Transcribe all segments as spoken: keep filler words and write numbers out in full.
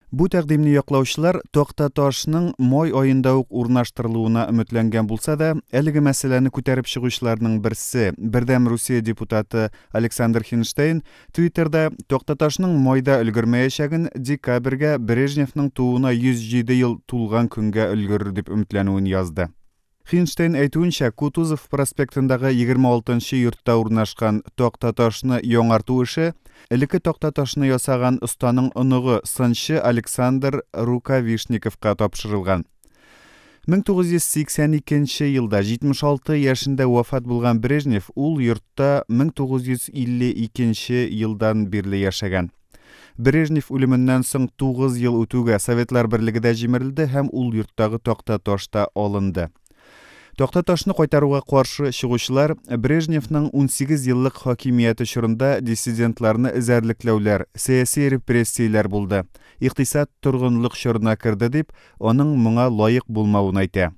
Бу тәкъдимне яклаучылар тактаташның май аенда ук урнаштырылуына өметләнгән булса да, әлеге мәсьәләне күтәреп чыгучыларның берсе, Бердәм Русия депутаты Александр Хинштейн Твиттерда тактаташның майда өлгермәячәген, декабрьгә, Брежневның тууына йөз җиде ел тулган көнгә өлгерер дип өметләнүен язды. Хинштейн әйтүенчә, Кутузов проспектындагы егерме алтынчы йортта урнашкан тактаташны яңарту эше элекке тактаташны ясаган останың оныгы сынчы Александр Рукавишниковка тапшырылган. мең тугыз йөз сиксән икенче елда җитмеш алты яшендә вафат булган Брежнев ул йортта мең тугыз йөз илле икенче елдан бирле яшәгән. Брежнев үлеменнән соң тугыз ел үтүгә Советлар Берлеге дә җимерелде һәм ул йорттагы тактаташ та алынды. Тактаташны кайтаруга каршы чыгучылар Брежневның унсигез еллык хакимияте чорында диссидентларны эзәрлекләүләр, сәяси репрессияләр булды, икътисад торгынлык чорына керде дип, аның моңа лаек булмавын әйтә.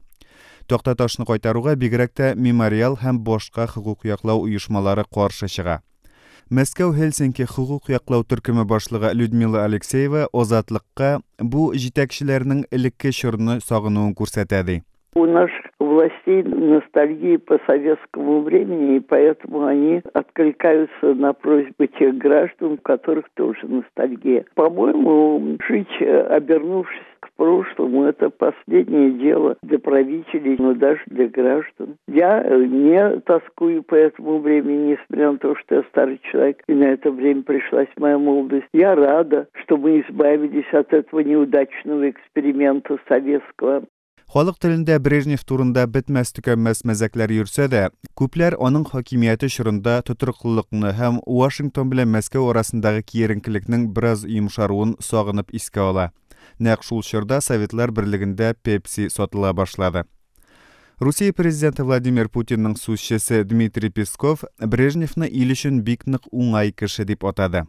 Тактаташны кайтаруга бигрәк тә мемориал һәм башка хокук яклау оешмалары каршы чыга. Мәскәү Хельсинки хокук яклау төркеме башлыгы Людмила Алексеева Азатлыкка бу җитәкчеләрнең элекке чорны сагынуын күрсәтә ди. У наших властей ностальгия по советскому времени, и поэтому они откликаются на просьбы тех граждан, у которых тоже ностальгия. По-моему, жить, обернувшись к прошлому, это последнее дело для правителей, но даже для граждан. Я не тоскую по этому времени, несмотря на то, что я старый человек, и на это время пришлась моя молодость. Я рада, что мы избавились от этого неудачного эксперимента советского. Халык телендә Брежнев турында бетмәс төкәнмәс мәзәкләр йөрсә дә, күпләр аның хакимияте чорында тотрыклылыкны һәм Вашингтон белән Мәскәү арасындагы киеренкелекнең бераз йомшаруын сагынып искә ала. Нәкъ шул чорда Советлар Берлегендә Пепси сатыла башлады. Русия президенты Владимир Путинның сүзчесе Дмитрий Песков Брежневны ил өчен бик нык уңай кеше дип атады.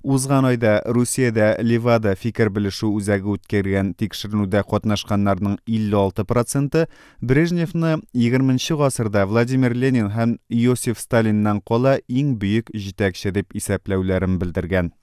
Узган айда Русиядә Левада фикер белешү үзәге үткәргән тикшеренүдә катнашканнарның илле алты проценты Брежневны егерменче гасырда Владимир Ленин һәм Иосиф Сталиннан кала иң бөек җитәкче дип исәпләүләрен белдергән.